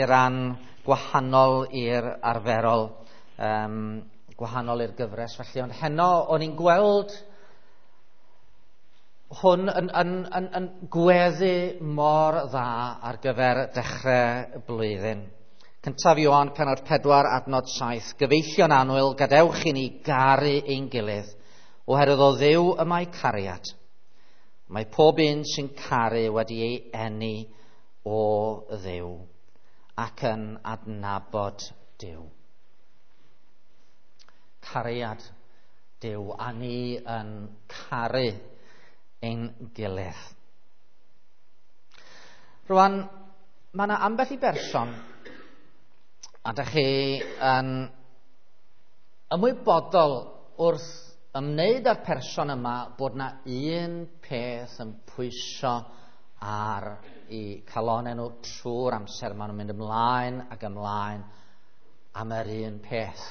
Ran gwahanol i'r arferol, gwahanol i'r gyfres felly, ond heno o'n i'n gweld hwn yn gweddu mor dda ar gyfer dechrau blwyddyn. Cyntaf Ioan penod 4 adnod 7, gyfeillion annwyl, gadewch i ni garu ein gilydd, oherwydd o Dduw y mae cariad. Mae pob un sy'n caru wedi ei eni o Dduw ac yn adnabod Duw. Cariad Duw, a ni yn caru ein gilydd. Rwan, mae yna ambell i berson, a dych chi yn ymwybodol wrth ymwneud â'r person yma bod yna un peth yn pwyso ar i calonau nhw trwy'r amser. Maen nhw'n mynd ymlaen ac ymlaen am yr un peth.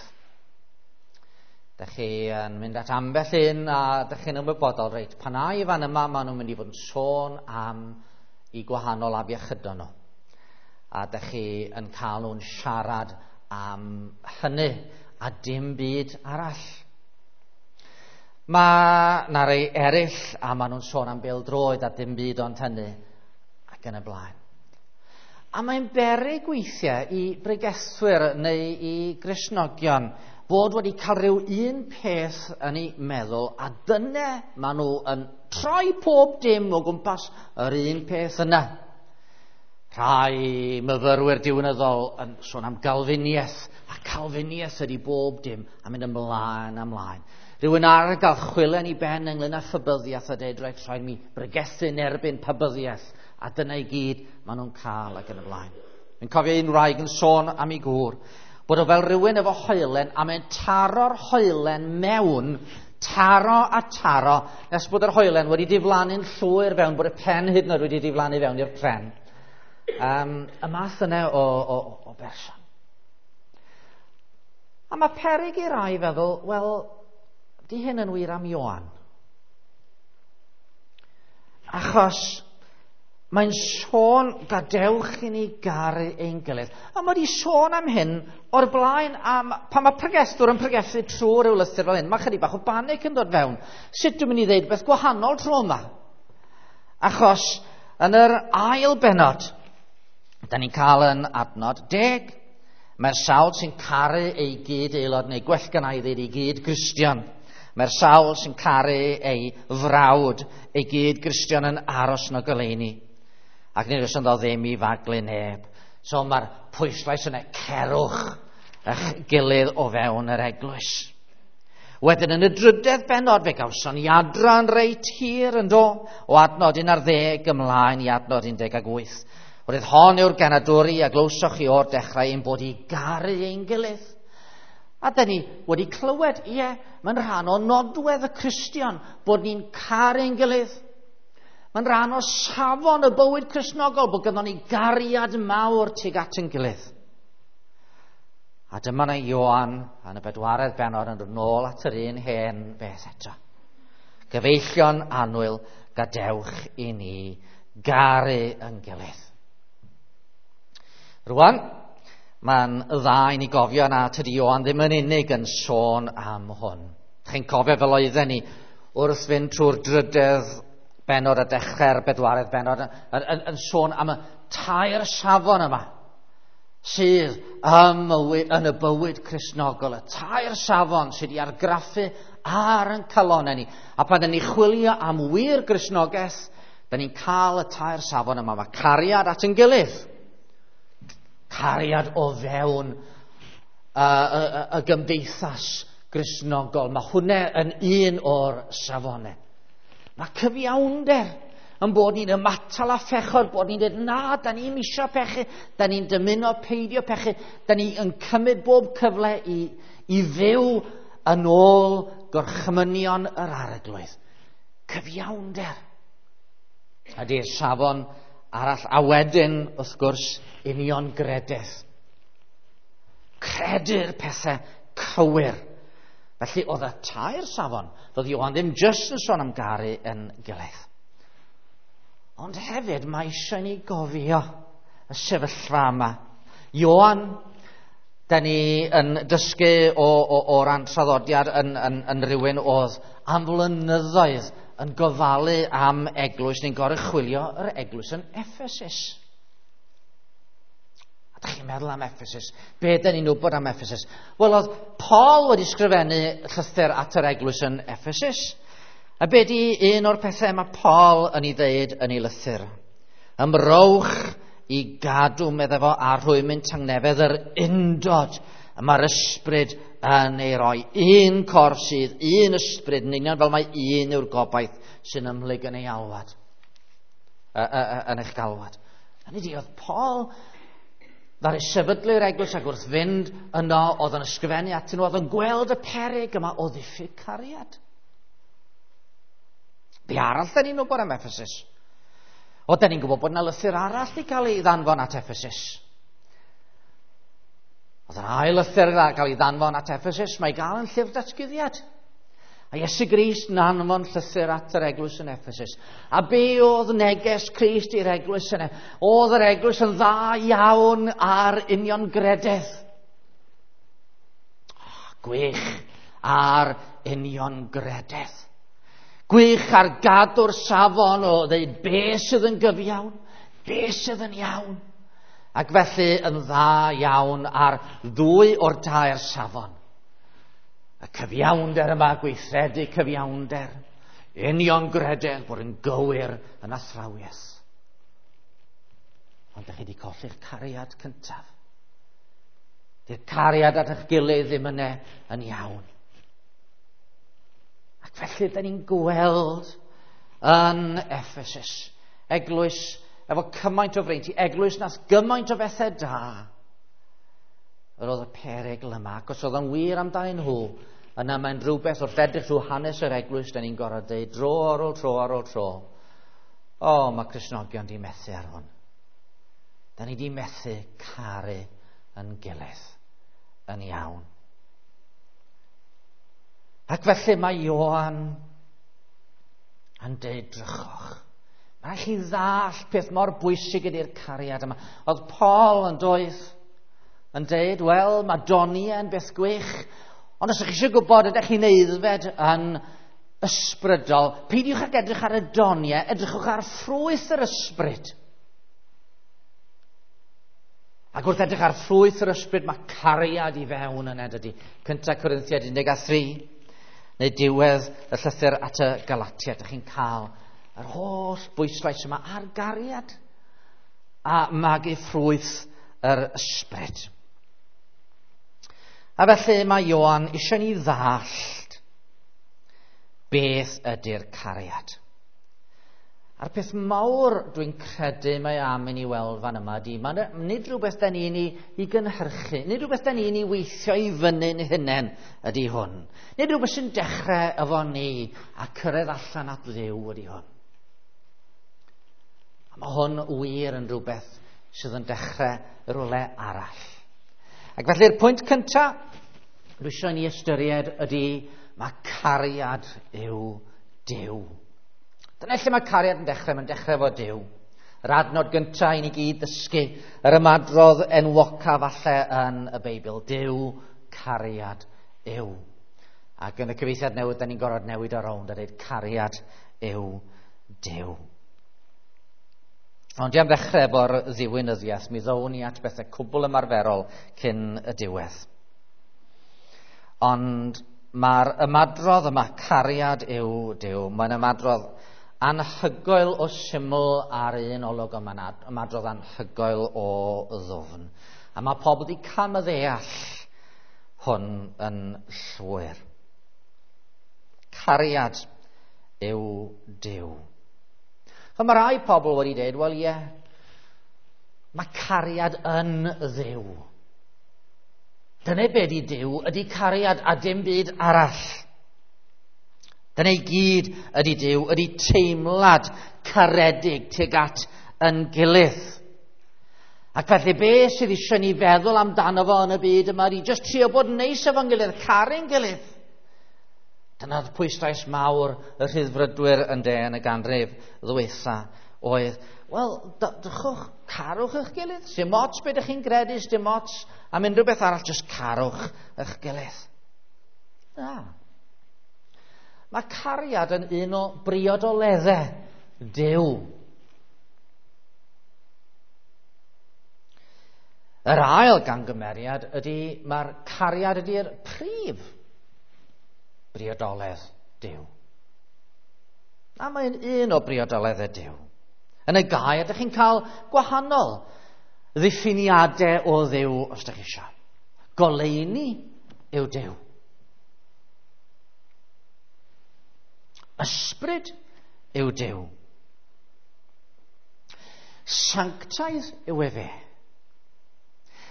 Dych chi yn mynd at ambell un a dych chi'n ymwybodol, reit, pan ai fan yma maen nhw'n mynd i fod yn sôn am i gwahanol afiechydon nhw. A dych chi yn cael nhw'n siarad am hynny a dim byd arall. Mae 'na rei eraill a maen nhw'n sôn am bêl-droed a dim byd ond hynny ac yn y blaen. A mae'n beryg weithiau i bregethwyr neu i Gristnogion fod wedi cael rhyw un peth yn eu meddwl, a dyna maen nhw yn troi pob dim o gwmpas yr un peth yna. Rhai myfyrwyr diwinyddol yn sôn am Galfiniaeth, a Calfiniaeth ydy bob dim, a mynd ymlaen a ymlaen. Rhywun arall gael chwilen i ben ynglyn â phybyddiaeth a dweud, reit, rhaid mi bregethu'n erbyn pybyddiaeth, a dyna i gyd maen nhw'n cael ac yn y blaen. Fi'n cofio un wraig yn sôn am ei gŵr, bod o fel rhywun efo hoelen, a mae'n taro'r hoelen mewn, taro a taro, nes bod yr hoelen wedi diflannu'n llwyr fewn, bod y pen hyd yn oed wedi diflannu fewn i'r pren. Y math yna o berson. A mae peryg i rai feddwl, wel, di hyn yn wir am Ioan? Achos mae'n sôn, gadewch i ni garu ein gilydd. A mae wedi sôn am hyn o'r blaen, pan mae pregethwr yn pregethu trwy ryw lythyr fel hyn, mae chydig bach o banic yn dod fewn. Sut dwi'n mynd i ddeud beth gwahanol tro yma? Achos yn yr ail bennod, da ni'n cael yn adnod 10, mae'r sawl sy'n caru ei gyd aelod, neu gwell gynna i ddeud ei gyd Gristion. Mae'r sawl sy'n caru ei frawd, ei gyd Gristion yn aros yn y goleuni. Ac nid oes ynddo ddim i faglu neb. So mae'r pwyslais yna, cerwch eich gilydd o fewn yr eglwys. Wedyn yn y drydedd bennod fe gawson ni adran reit hir yn do, o adnod 11 ymlaen i adnod 18. Roedd hon yw'r genadwri a glywsoch chi o'r dechrau ein bod i garu ein gilydd. A dyn ni wedi clywed, ie, mae'n rhan o nodwedd y Cristion bod ni'n caru ein gilydd. Mae'n rhan o safon y bywyd Cristnogol bod gynnon ni gariad mawr tuag at ein gilydd. A dyma na Ioan yn y bedwaredd bennod yn dod nôl at yr un hen beth eto. Gyfeillion annwyl, gadewch i ni garu yn gilydd. Rwan, mae'n dda i ni gofio na tydi Ioan ddim yn unig yn sôn am hwn. Chi'n cofio fel oedden ni wrth fynd trwy'r drydedd bennod a dechrau'r bedwaredd bennod yn sôn am y tair safon yma sydd yn y bywyd Cristnogol, y tair safon sydd wedi argraffu ar ein calonnau ni. A pan dyn ni chwilio am wir Gristnogaeth, dyn ni'n cael y tair safon yma. Mae cariad at ein gilydd, cariad o fewn y gymdeithas Gristnogol. Mae hwnna yn un o'r safonau. Mae cyfiawnder yn bod ni'n ymatal â phechod, bod ni'n dweud, na, da ni'n isio pechu, da ni'n dymuno peidio pechu, da ni yn cymryd bob cyfle i fyw yn ôl gorchmynion yr Arglwydd. Cyfiawnder. Ydy'r safon arall, a wedyn, wrth gwrs, uniongrededd. Credu'r pethau cywir. Felly, oedd y tair safon, doedd Ioan ddim jyst yn sôn am garu yn gilydd. Ond hefyd, mae eisiau ni gofio y sefyllfa yma. Ioan, da ni yn dysgu o ran traddodiad yn rhywun oedd am flynyddoedd yn gofalu am eglwys, neu'n goruchwylio yr eglwys yn Ephesus. A da chi'n meddwl am Ephesus? Be da ni'n wybod am Ephesus? Wel, oedd Paul wedi sgrifennu llythyr at yr eglwys yn Ephesus. A be di un o'r pethau mae Paul yn ei ddeud yn ei lythyr? Ymrowch i gadw, meddai fo, a rhwymyn tangnefedd yr undod y mae'r ysbryd yn ei roi. Un corff sydd, un ysbryd yn union fel mae un yw'r gobaith sy'n ymhlyg yn ei alwad, yn eich galwad. Hynny ydi, oedd Paul ddaru sefydlu'r eglwys ac wrth fynd yno oedd yn ysgrifennu atyn nhw, oedd yn gweld y peryg yma o ddiffyg cariad. Be arall da ni'n wybod am Ephesus? O, da ni'n gwybod bod yna lythyr arall wedi cael ei ddanfon at Ephesus. Oedd yr ail lythyr wedi cael ei ddanfon at Ephesus, mae gael yn llyfr datguddiad. A Iesu Grist yn anfon llythyr at yr eglwys yn Ephesus. A be oedd neges Crist i'r eglwys yna? Oedd yr eglwys yn dda iawn ar uniongrededd. Gwych ar uniongrededd. Gwych ar gadw'r safon o ddeud be sydd yn gyfiawn, be sydd yn iawn. Ac felly yn dda iawn ar ddwy o'r tair safon. Y cyfiawnder yma, gweithredu cyfiawnder, uniongrededd, bod yn gywir yn athrawiaeth. Ond ydych chi wedi colli'ch cariad cyntaf. Di'r cariad at eich gilydd ddim yna yn iawn. Ac felly, da ni'n gweld yn Ephesus, eglwys efo cymaint o freinti, eglwys nath gymaint o bethau da. Yr oedd y perygl yma, ac os oedd yn wir amdanyn nhw, yna mae'n rhywbeth wrth edrych trwy hanes yr eglwys, da ni'n gorfod deud dro ar ôl tro ar ôl tro. O, mae Cristnogion di methu ar hwn. Da ni di methu caru yn gilydd yn iawn. Ac felly mae Ioan yn deud drychwch. Mae rhaid chi ddall peth mor bwysig ydy'r cariad yma. Oedd Paul yn doedd yn deud, wel, mae doniau yn beth gwych, ond os ydych chi eisiau gwybod ydych chi'n aeddfed yn ysbrydol, peidiwch ag edrych ar y doniau, edrychwch ar ffrwyth yr ysbryd. Ac wrth edrych ar ffrwyth yr ysbryd, mae cariad i fewn yna, dydy. 1 Corinthiaid 13, neu diwedd y llythyr at y Galatiaid, ydych chi'n cael yr holl bwyslais yma ar gariad a magu ffrwyth yr ysbryd. A felly mae Ioan eisiau ni ddallt beth ydy'r cariad. A'r peth mawr dwi'n credu mae am i ni weld fan yma ydy, mae nid rhywbeth da ni'n ei gynhyrchu, nid rhywbeth da ni'n ei weithio i fyny'n hunain ydy hwn. Nid rhywbeth sy'n dechrau efo ni a cyrraedd allan at Dduw ydy hwn. A mae hwn wir yn rhywbeth sydd yn dechrau rhywle arall. Ac felly'r pwynt cyntaf dwi eisiau ni ystyried ydy mae cariad yw Duw. Dyna lle mae cariad yn dechrau, mae'n dechrau efo Duw. Yr adnod gyntaf i ni gyd ddysgu, yr ymadrodd enwoca falle yn y Beibl, Duw, cariad yw. Ac yn y cyfieithiad newydd, da ni'n gorfod newid o rownd a dweud cariad yw Duw. Ond i am ddechrau efo'r ddiwinyddiaeth, mi ddown ni at bethau cwbl ymarferol cyn y diwedd. Ond mae'r ymadrodd yma, cariad yw Duw, mae'n ymadrodd anhygoel o syml ar un olwg, ond mae'n ymadrodd anhygoel o ddwfn. A mae pobl wedi camddeall hwn yn llwyr. Cariad yw Duw. A mae rai pobl wedi dweud, wel ie, mae cariad yn Dduw. Dyna be di Duw, ydy cariad a dim byd arall. Dyna i gyd ydy Duw, ydy teimlad caredig tuag at yn gilydd. Ac felly be sydd eisiau ni feddwl amdano fo yn y byd yma ydy jyst trio bod yn neis efo'n gilydd, caru'n gilydd. Dyna'r pwyslais mawr y rhyddfrydwyr yn de yn y ganrif ddwytha oedd, Wel, drychwch, carwch eich gilydd. Dim ots beth ydych chi'n gredu, dim ots am unrhyw beth arall, jyst carwch eich gilydd. Na. Mae cariad yn un o briodoleddau Duw. Yr ail gangymeriad ydy, mae'r cariad ydy'r prif briodoledd Duw. A mae'n un o briodoleddau Duw. Yn y gair, ydych chi'n cael gwahanol ddiffiniadau o Dduw os ydych chi eisiau. Goleuni yw Duw. Ysbryd yw Duw. Sanctaidd yw efe.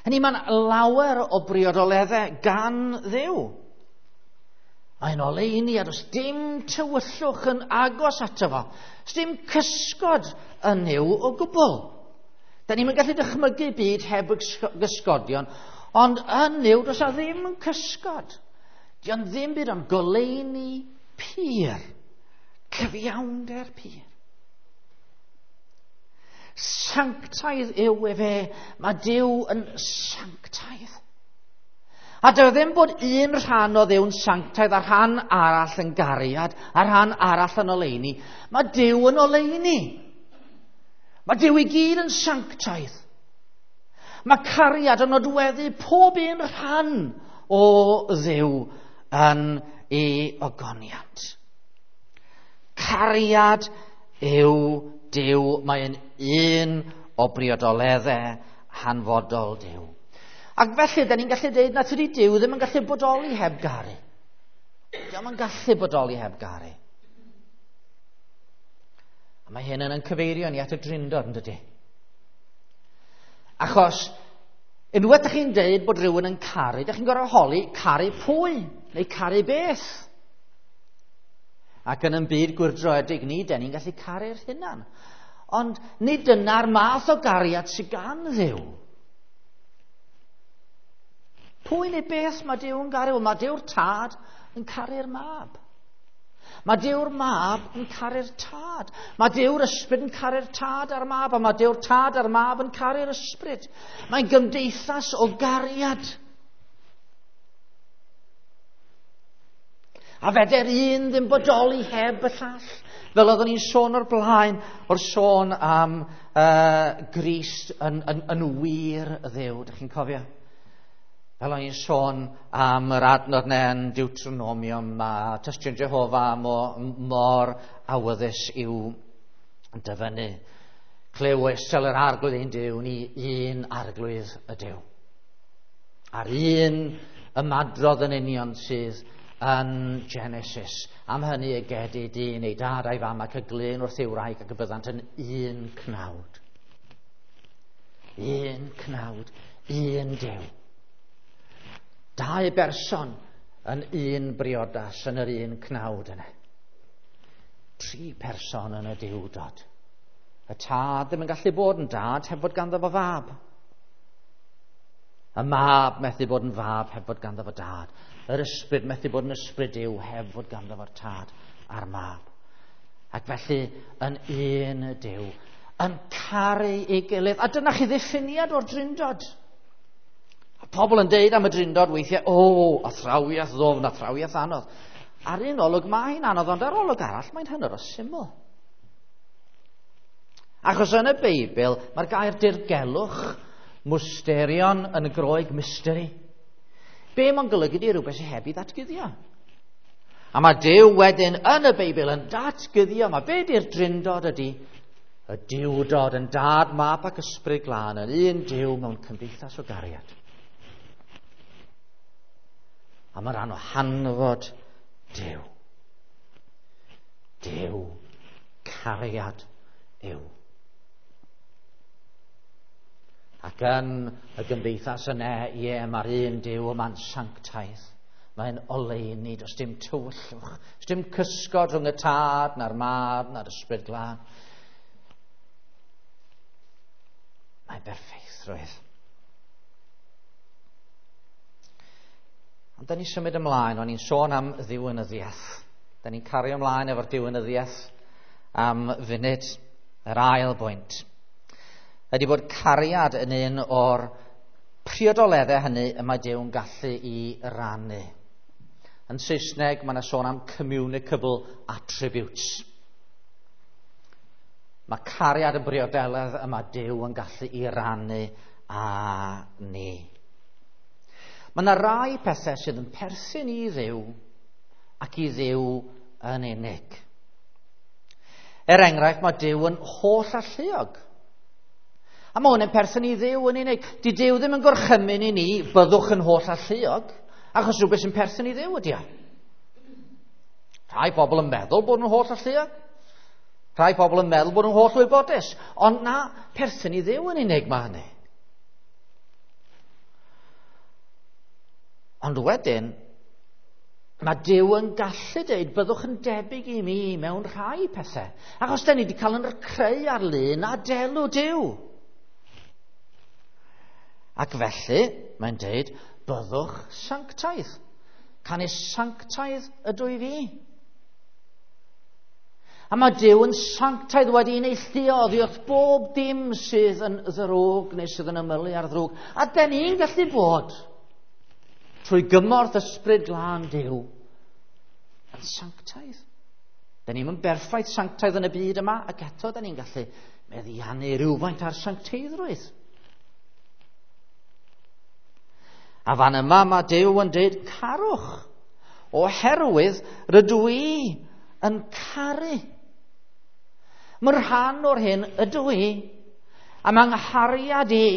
Hynny mae'n lawer o briodoleddau gan Dduw. Mae'n oleuni a does dim tywyllwch yn agos ato fo. Does dim cysgod yn Nuw o gwbl. Da ni'n gallu dychmygu byd heb gysgodion, ond yn Nuw does a ddim cysgod. Dio'n ddim byd ond goleuni pur. Cyfiawnder pur. Sanctaidd yw efe. Mae Duw yn sanctaidd. A dyw e ddim bod un rhan o Dduw'n sanctaidd a rhan arall yn gariad, a rhan arall yn oleuni. Mae Duw yn oleuni. Mae Duw i gyd yn sanctaidd. Mae cariad yn nodweddu pob un rhan o Dduw yn ei ogoniant. Cariad yw Duw, mae'n un o briodoleddau hanfodol Duw. Ac felly, da ni'n gallu dweud na tydi Duw ddim yn gallu bodoli heb garu. Dio'm yn gallu bodoli heb garu. A mae hyn yn cyfeirio ni at y Drindod, yn dydy? Achos, unwaith ydych chi'n dweud bod rhywun yn caru, ydych chi'n gorfod holi caru pwy, neu caru beth. Ac yn y byd gwyrdroedig ni, den ni'n gallu caru'r hunan. Ond nid dyna'r math o gariad sydd gan Dduw. Pwy neu beth mae Duw yn garu? Wel, mae Duw'r Tad yn caru'r Mab. Mae Duw'r Mab yn caru'r Tad. Mae Duw'r Ysbryd yn caru'r Tad a'r Mab, a mae Duw'r Tad a'r Mab yn caru'r Ysbryd. Mae'n gymdeithas o gariad. A feder un ddim bodoli heb y llall. Fel oeddwn ni'n sôn o'r blaen, o'r sôn am Grist yn wir Dduw. Dych chi'n cofio? Fel o'n i'n sôn am yr adnod yna yn Deuteronomium, mae Tystion Jehofa mor awyddus i'w dyfynnu. Clyw Israel yr arglwydd ein Duw, ni un arglwydd y Duw. A'r un ymadrodd yn union sydd yn Genesis. Am hynny y gedi dyn ei dad a'i fam ac y glyn wrth ei wraig ac y byddant yn un cnawd. Un cnawd, un Duw. Dau berson yn un briodas yn yr un cnawd yna. Tri person yn y Duwdod. Y tad ddim yn gallu bod yn dad heb fod ganddo fo fab. Y mab methu bod yn fab heb fod ganddo fo dad. Yr ysbryd methu bod yn ysbryd Duw heb fod ganddo fo'r tad a'r mab. Ac felly yn un Duw, yn caru ei gilydd. A dyna chi ddiffiniad o'r Drindod. A pobl yn deud am y Drindod weithiau, o, athrawiaeth ddofn, athrawiaeth anodd. Ar un olwg mae'n anodd, ond ar olwg arall mae'n hynod o syml. Achos yn y Beibl, mae'r gair dirgelwch, mysterion yn y Groeg, mystery. Be mae'n golygu di rhywbeth sydd heb i ddatguddio. A mae Duw wedyn yn y Beibl yn datguddio. Mae be di'r Drindod ydy? Y Duwdod yn dad, mab ac ysbryd glân yn un Duw mewn cymdeithas o gariad. A mae rhan o hanfod Duw. Duw, cariad yw. Ac yn y gymdeithas yna, ie, mae'r un Duw yma'n sanctaidd. Mae'n oleuni, does dim tywyllwch, does dim cysgod rhwng y tad, na'r mab, na'r ysbryd glân. Mae'n berffeithrwydd. Ond da ni'n symud ymlaen, o'n i'n sôn am ddiwinyddiaeth. Da ni'n cario ymlaen efo'r diwinyddiaeth am funud, yr ail bwynt. ydy bod cariad yn un o'r priodoleddau hynny y mae Duw'n gallu i rannu. Yn Saesneg, mae yna sôn am communicable attributes. Mae cariad yn briodeledd y mae Duw yn gallu i rannu â ni. Mae yna rai pethau sydd yn perthyn i Dduw ac i Dduw yn unig. Er enghraifft, mae Duw yn holl alluog. A mae hwn yn perthyn i Dduw yn unig. Di Duw ddim yn gorchymyn i ni, byddwch yn holl alluog, achos rhywbeth sy'n perthyn i Dduw ydy o. Rhai pobl yn meddwl bod nhw'n holl alluog. Rhai pobl yn meddwl bod nhw'n holl wybodus. Ond na, perthyn i Dduw yn unig mae hynny. Ond wedyn, mae Duw yn gallu dweud byddwch yn debyg i mi mewn rhai pethau. Achos da ni wedi cael yn creu ar lun a delw Duw. Ac felly, mae'n dweud, byddwch sanctaidd. Canys sanctaidd ydw i fi. A mae Duw yn sanctaidd wedi neilltuo oddi wrth bob dim sydd yn ddrwg neu sydd yn ymylu ar ddrwg. A da ni'n gallu bod, trwy gymorth ysbryd glân Duw, yn sanctaidd. Da ni'n berffaith sanctaidd yn y byd yma, ac eto da ni'n gallu meddiannu rhywfaint ar sancteiddrwydd. A fan yma mae Duw yn dweud carwch, oherwydd rydw i yn caru. Mae'n rhan o'r hyn ydw i, a mae nghariad i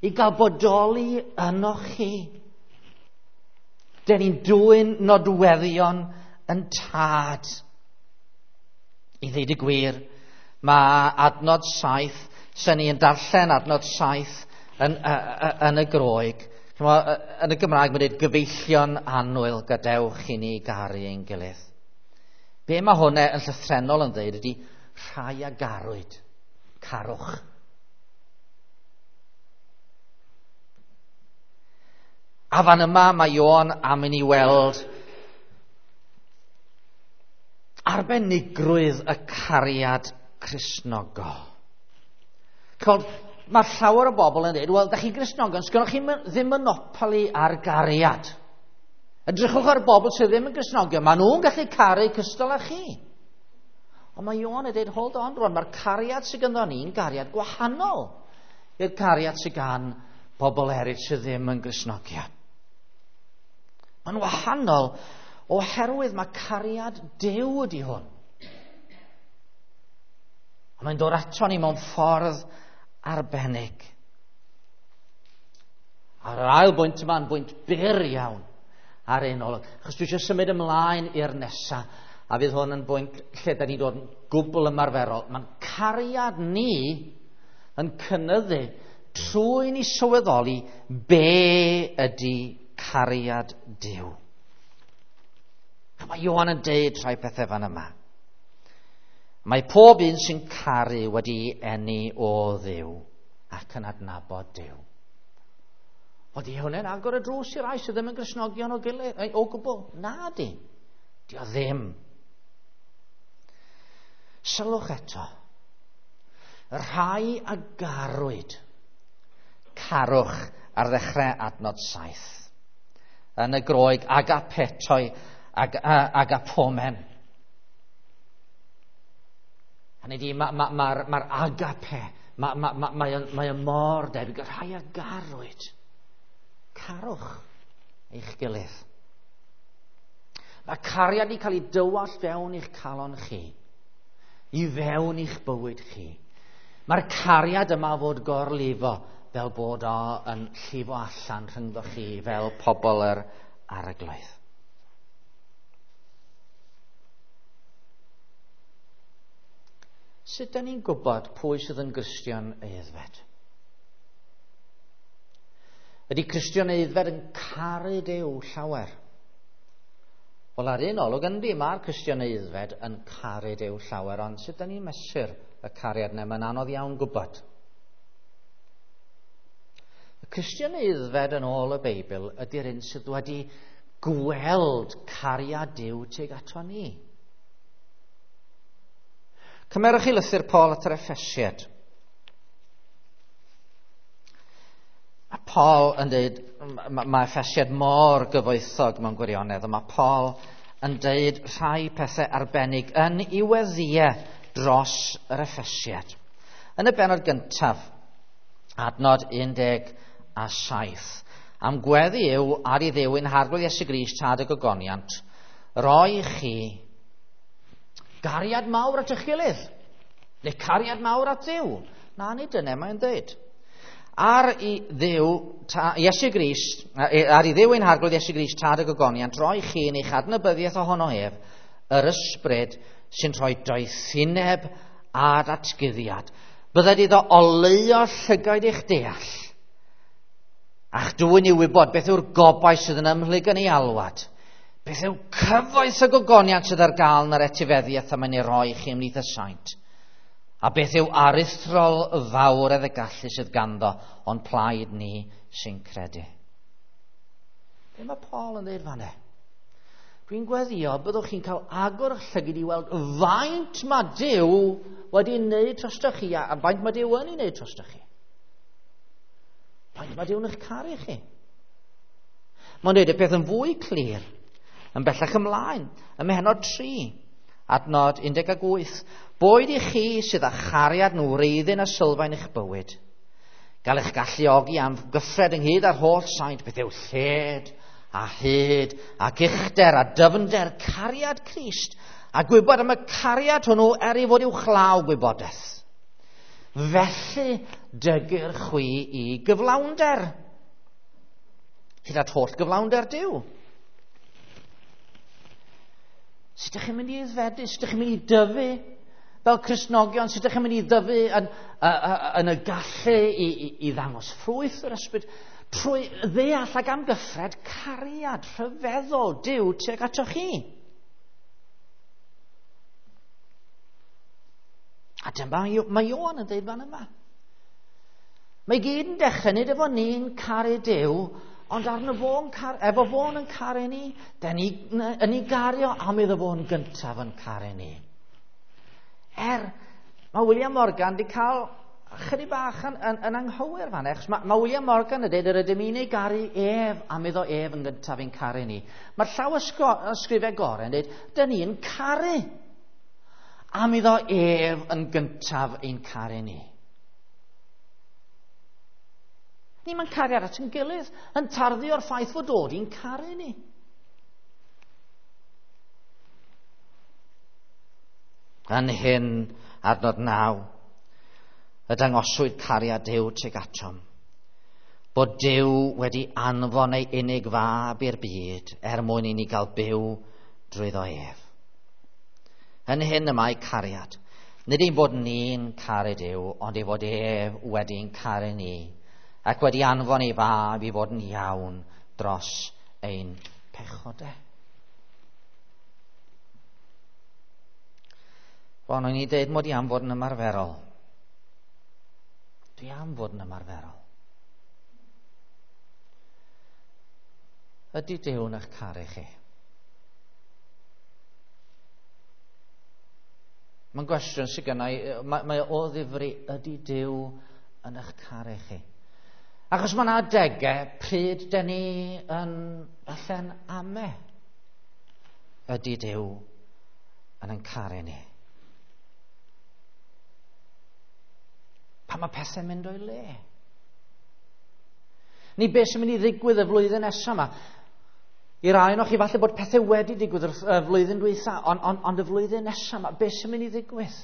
i gael bodoli ynoch chi. Dyn ni'n dwyn nodweddion yn tad. I ddweud y gwir, mae adnod 7, sy'n ni'n darllen adnod 7 yn y Groeg. Yn y Gymraeg mae'n dweud gyfeillion annwyl, gadewch i ni garu ein gilydd. Be mae hwnna yn llythrennol yn dweud ydy rhai a garwyd, carwch. A fan yma mae Ioan am i ni weld arbenigrwydd y cariad Cristnogol. Chod, mae llawer o bobl yn dweud, wel, da chi'n Gristnogion, sgynnoch chi ddim monopoli ar gariad. Edrychwch ar bobl sydd ddim yn Gristnogion, maen nhw'n gallu caru cystal â chi. Ond mae Ioan yn dweud, hold on rwan, mae'r cariad sydd ganddo ni'n gariad gwahanol i'r cariad sydd gan bobl eraill sydd ddim yn Gristnogion. Mae'n wahanol oherwydd mae cariad Duw ydy hwn. A mae'n dod ato ni mewn ffordd arbennig. A'r ail bwynt yma yn bwynt byr iawn ar un olwg. Achos dwi eisiau symud ymlaen i'r nesa, a fydd hwn yn bwynt lle da ni'n dod yn gwbl ymarferol. Mae'n cariad ni yn cynyddu trwy ni sylweddoli be ydy cariad Duw. A mae Ioan yn deud rhai pethau fan yma. Mae pob un sy'n caru wedi eni o Dduw ac yn adnabod Duw. Oeddi hwnna'n agor y drws i rai sydd ddim yn Gristnogion o gilydd, o gwbl? Na di. Di o ddim. Sylwch eto. Y rhai a garwyd, carwch ar ddechrau adnod 7. Yn y Groeg, agapetoi, agapomen. Hynny ydi, mae'r agape, mae o mor debyg, y rhai a garwyd. Carwch eich gilydd. Mae cariad i cael ei dywallt fewn i'ch calon chi, i fewn i'ch bywyd chi. Mae'r cariad yma fod gorlifo fel bod o yn llifo allan rhyngddo chi fel pobl yr Arglwydd. Sut da ni'n gwybod pwy sydd yn Gristion aeddfed? Ydy Cristion aeddfed yn caru Duw llawer? Wel, ar un olwg, yndi, mae'r Cristion aeddfed yn caru Duw llawer, ond sut da ni'n mesur y cariad yna? Mae'n anodd iawn gwybod. Y Cristion aeddfed yn ôl y Beibl ydy'r un sydd wedi gweld cariad Duw tuag ato ni. Cymerwch chi lythyr Paul at yr Effesiaid. Paul yn dweud, mae Effesiad mor gyfoethog mewn gwirionedd, a mae Paul yn dweud rhai pethau arbennig yn ei weddïau dros yr Effesiad. Yn y bennod gyntaf, adnod 17, am gweddi yw ar i Dduw ein Harglwydd Iesu Grist tad y gogoniant, roi chi gariad mawr at eich gilydd, neu cariad mawr at Dduw. Na, nid dyna mae'n dweud. Ar i Dduw, Iesu Grist, ar i Dduw ein Harglwydd Iesu Grist tad y gogoniant, roi chi yn eich adnabyddiaeth ohono ef, yr ysbryd sy'n rhoi doethineb a datguddiad. Bydded iddo oleuo llygaid eich deall, a'ch dwyn i wybod beth yw'r gobaith sydd yn ymhlyg yn ei alwad, beth yw cyfoeth y gogoniant sydd ar gael yn yr etifeddiaeth a mae'n ei roi chi ymhlith y saint, a beth yw aruthrol fawr y gallu sydd ganddo o'n plaid ni sy'n credu. Be mae Paul yn dweud fan'na? Dwi'n gweddio byddwch chi'n cael agor eich llygid i weld faint mae Duw wedi wneud drostoch chi a faint mae Duw yn ei wneud drostoch chi. Faint mae Duw yn eich caru chi. Mae'n dweud y peth yn fwy clir, yn bellach ymlaen, ym mhennod 3, adnod 18. Boed i chi sydd â chariad yn wreiddyn a sylfaen eich bywyd, gael eich galluogi am gyffred ynghyd â'r holl saint, beth yw lled a hyd ac uchder a dyfnder cariad Crist, a gwybod am y cariad hwnnw er ei fod uwchlaw gwybodaeth. Felly dygir chwi i gyflawnder, hyd at holl gyflawnder Duw. Sut ydych chi'n mynd i aeddfedu? Sut ydych chi'n mynd i dyfu fel Cristnogion? Sut ydych chi'n mynd i dyfu yn y gallu i ddangos ffrwyth yr ysbryd? Trwy ddeall ac amgyffred cariad rhyfeddol Duw tuag atoch chi. A dyma mae Ioan yn dweud fan yma. Mae gyd yn dechrau nid efo ni'n caru Duw, ond arno fo'n efo fo'n yn caru ni, da ni yn ei gario am iddo fo'n gyntaf yn caru ni. Mae William Morgan wedi cael chydig bach yn anghywir fan, achos mae William Morgan yn dweud yr ydym ni'n ei garu ef am iddo ef yn gyntaf ein caru ni. Mae'r llaw ysgrifau gorau yn dweud, da ni'n caru am iddo ef yn gyntaf ein caru ni. Ni mae'n cariad at ein gilydd, yn tarddu o'r ffaith fod dod i'n caru ni. Yn hyn, adnod 9, y dangoswyd cariad Duw tuag atom, bod Duw wedi anfon ei unig fab i'r byd er mwyn i ni gael byw drwyddo ef. Yn hyn y mae cariad. Nid ein bod ni'n caru Duw, ond ei fod ef wedi'n caru ni, ac wedi anfon ei fab i fod yn iawn dros ein pechodau. Bon, o'n i dweud mod i am fod yn ymarferol. Dwi am fod yn ymarferol. Ydy Duw yn eich caru chi? Mae'n gwestiwn sydd gynna i, mae o ddifri, ydy Duw yn eich caru chi? Achos mae yna adegau pryd dyn ni yn falle'n ame. Ydy Duw yn ein caru ni? Pan mae pethau'n mynd o'i le. Ni beth sy'n mynd i ddigwydd y flwyddyn nesaf yma. I rai ohonoch chi falle bod pethau wedi digwydd y flwyddyn dwytha, ond y flwyddyn nesaf yma, beth sy'n mynd i ddigwydd?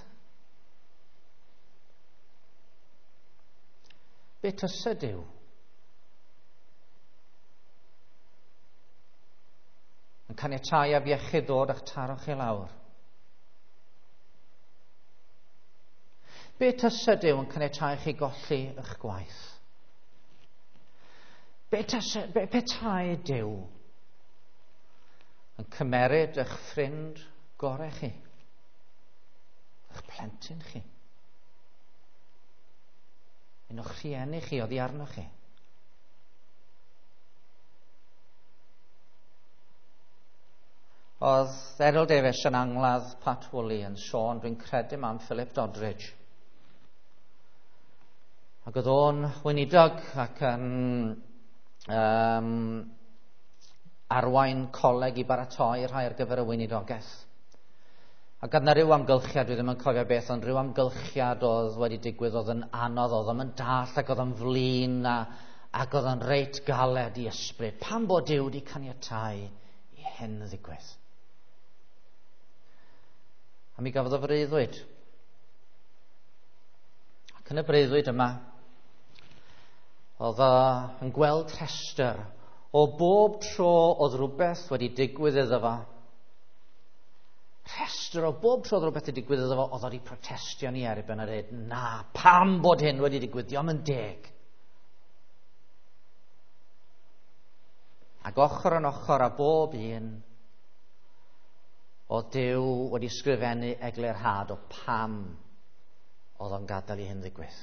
Be tysa Duw? Yn caniatáu afiechyd ddod a'ch taro chi lawr. Be tysa Duw yn caniatáu chi golli eich gwaith? Be petai Duw yn cymeryd eich ffrind gorau chi? Eich plentyn chi? Un o'ch rhieni chi oddi arnoch chi? Oedd Errol Davies yn angladd Pat Woolley yn sôn, dwi'n credu am Philip Doddridge. Ac oedd o'n weinidog ac yn arwain coleg i baratoi rhai ar gyfer y weinidogaeth. Ac oedd yna rhyw amgylchiad, dwi ddim yn cofio beth, ond rhyw amgylchiad oedd wedi digwydd, oedd yn anodd, oedd yn dall ac oedd yn flin ac oedd yn reit galed i ysbryd. Pam bod Duw wedi caniatáu i hyn ddigwydd? A mi gafodd o freuddwyd. Ac yn y breuddwyd yma, oedd o yn gweld rhestr o bob tro oedd rhywbeth wedi digwydd iddo fo. Rhestr o bob tro oedd rhywbeth wedi digwydd iddo fo, oedd wedi protestio ni erbyn a dweud, na, pam bod hyn wedi digwydd, dio'm yn deg. Ac ochr yn ochr â bob un, oedd Duw wedi sgrifennu eglurhad o pam oedd o'n gadael i hyn ddigwydd.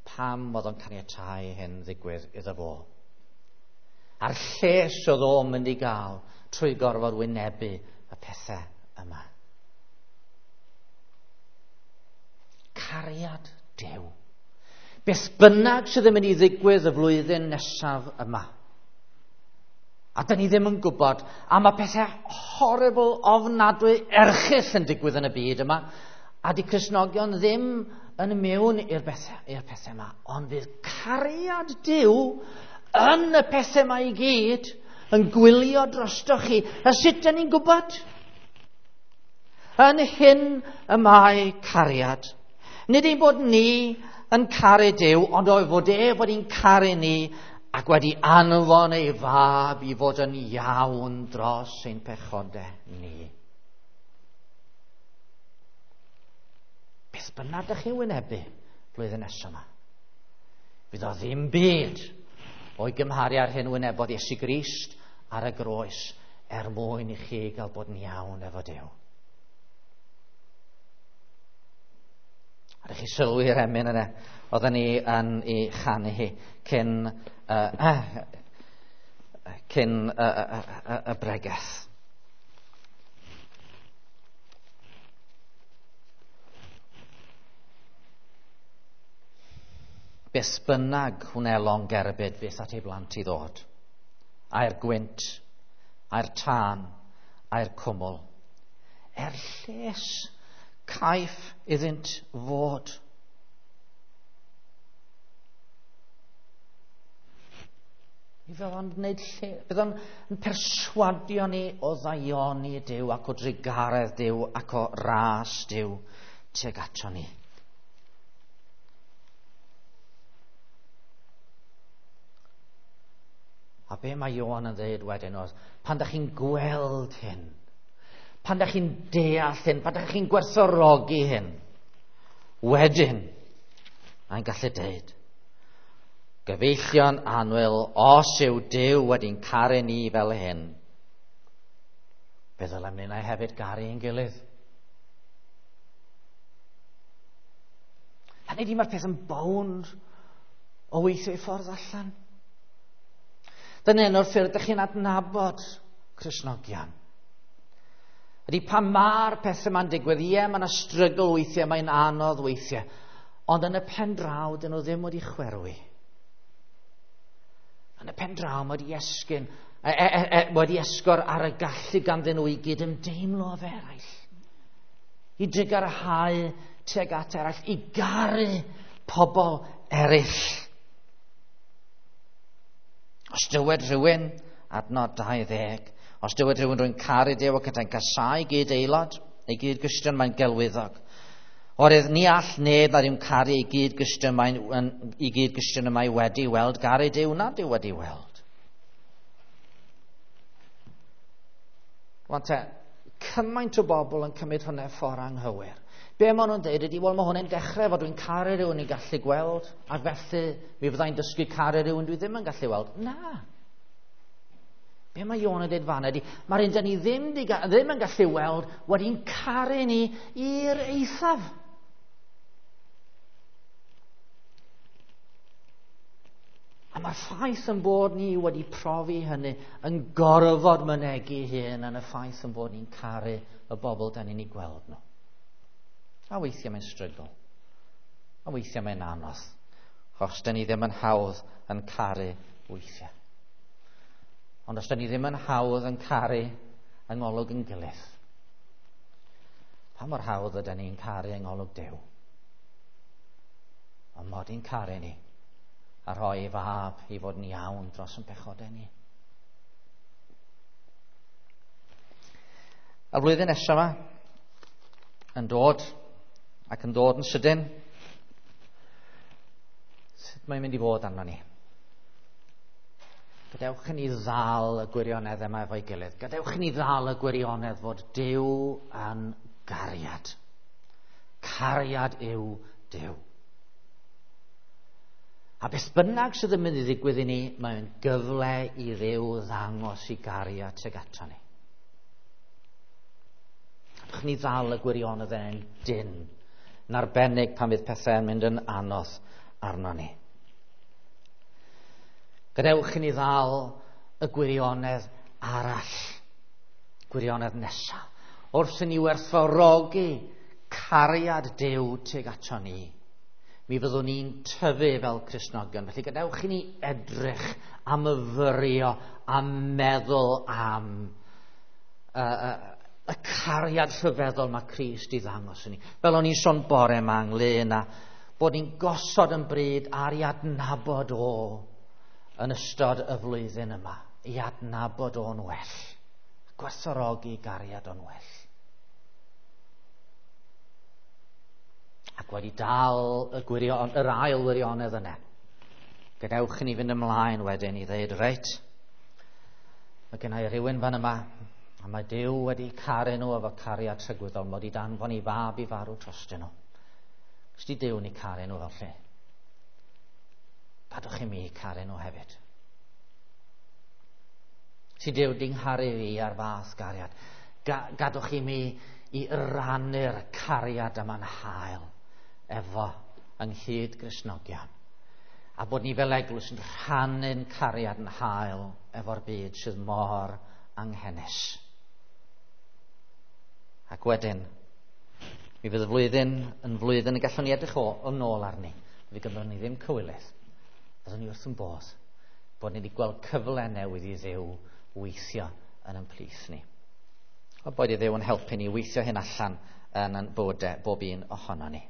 Pam oedd o'n caniatáu hyn ddigwydd iddo fo. A'r lles oedd o'n mynd i gael trwy gorfod wynebu y pethau yma. Cariad Duw. Beth bynnag sydd yn mynd i ddigwydd y flwyddyn nesaf yma. A dyn ni ddim yn gwybod, a mae pethau horrible, ofnadwy, erchyll yn digwydd yn y byd yma, a di Cristnogion ddim yn mewn i'r pethau yma, ond fydd cariad Duw yn y pethau yma i gyd yn gwylio drostoch chi. A sut dyn ni'n gwybod? Yn hyn y mae cariad. Nid ein bod ni yn caru Duw, ond oedd fod e wedi'n caru ni ac wedi anfon ei fab i fod yn iawn dros ein pechodau ni. Beth bynnag ydych chi'n wynebu blwyddyn nesaf yma, fydd o ddim byd o'i gymharu â'r hyn wynebodd Iesu Grist ar y groes er mwyn i chi gael bod yn iawn efo Duw. A ydych chi sylwi'r emyn yna, oedden ni yn ei chanu hi cyn y bregeth. Beth bynnag wnelon gerbyd fyth at ei blant i ddod, a'r gwynt, a'r tân, a'r cwmwl, er lles caiff iddynt fod. Mi fydd o'n gwneud lle, fydd o'n perswadio ni o ddaioni Duw ac o drugaredd Duw ac o ras Duw tuag ato ni. A be mae Ioan yn dweud wedyn oedd, pan da chi'n gweld hyn, pan da chi'n deall hyn, pan da chi'n gwerthfawrogi hyn, wedyn, mae'n gallu dweud, gyfeillion annwyl, os yw Duw wedi'n caru ni fel hyn, fe ddylem ninnau hefyd garu ein gilydd. Hynny ydi, mae'r peth yn bownd o weithio ei ffordd allan. Dyna un o'r ffyrdd ydych chi'n adnabod Cristnogion. Ydy pan mae'r pethau yma'n digwydd, ie, mae yna strygl weithiau, mae'n anodd weithiau, ond yn y pen draw, dyn nhw ddim wedi chwerwi. Yn y pen draw, mae wedi esgyn, wedi esgor ar y gallu ganddyn nhw i gyd ymdeimlo efo eraill, i drugarhau tuag at eraill, i garu pobl eraill. Os dywed rhywun, adnod 20, os dywed rhywun rwy'n caru Duw ac yntau'n casáu gyd aelod, ei gyd Gristion, mae'n gelwyddog. Oherwydd ni all neb nad yw'n caru ei gyd Gristion, ei gyd Gristion y mae wedi weld garu Duw nad yw wedi weld. Rwan te, cymaint o bobl yn cymryd hwnna ffordd anghywir. Be maen nhw'n dweud ydy, wel, mae hwn yn dechrau fod dwi'n caru rhywun i'n gallu gweld, ac felly mi fyddai'n dysgu caru rhywun dwi ddim yn gallu weld. Na. Be mae Ioan yn dweud fan ydy, mae'r un dyn ni ddim yn gallu weld wedi'n caru ni i'r eithaf. A mae'r ffaith yn bod ni wedi profi hynny yn gorfod mynegi hyn yn y ffaith yn bod ni'n caru y bobl dan ni'n ei gweld nhw. A weithiau mae'n strygl. Ond weithiau mae'n anodd, achos dyn ni ddim yn hawdd yn caru weithiau. Ond os dyn ni ddim yn hawdd yn caru yng ngolwg yn gilydd, pa mor hawdd ydyn ni'n caru yng ngolwg Duw? Ond mod i'n caru ni a rhoi ei fab i fod yn iawn dros yn pechodau ni. Y flwyddyn nesaf yma, yn dod, ac yn dod yn sydyn, sut mae'n mynd i fod arno ni? Gadewch i ni ddal y gwirionedd yma efo'i gilydd. Gadewch i ni ddal y gwirionedd fod Duw yn gariad. Cariad yw Duw. A beth bynnag sydd yn mynd i ddigwydd i ni, mae'n gyfle i Dduw ddangos i gariad tuag ato ni. Gadewch ni ddal y gwirionedd yn dyn, yn arbennig pan fydd pethau'n mynd yn anodd arno ni. Gadewch i ni ddal y gwirionedd arall, gwirionedd nesaf. Wrth i ni werthfawrogi cariad Duw tuag ato ni, mi fyddwn ni'n tyfu fel Cristnogion. Felly gadewch i ni edrych a myfyrio a meddwl am y cariad rhyfeddol mae Crist i ddangos i ni. Fel o'n i'n sôn bore yma ynglyn â bod ni'n gosod yn bryd ar i adnabod o yn ystod y flwyddyn yma, i adnabod o'n well, gwerthfawrogi gariad o'n well. Ac wedi dal y gwirion, yr ail wirionedd yna, gadewch i ni fynd ymlaen wedyn i ddweud, reit, mae gen i rywun fan yma, a mae Duw wedi caru nhw efo cariad tragwyddol, mod i danfon i fab i farw trostyn nhw. Os di Duw ni caru nhw fel lle, gadwch i mi caru nhw hefyd. Si Duw di'n ngharu fi ar fath gariad, gadwch i mi i rannu'r cariad yma'n hael efo ynghyd Gristnogion. A bod ni fel eglwys yn rhannu'n cariad yn hael efo'r byd sydd mor anghenus. Ac wedyn, mi fydd y flwyddyn yn flwyddyn y gallwn ni edrych yn ôl arni. Fe gymrwn ni ddim cywilydd. Byddwn ni wrth yn bodd bod ni wedi gweld cyfle newydd i Dduw weithio yn ein plith ni. A boed i Dduw yn helpu ni weithio hyn allan yn ein bywydau bob un ohono ni.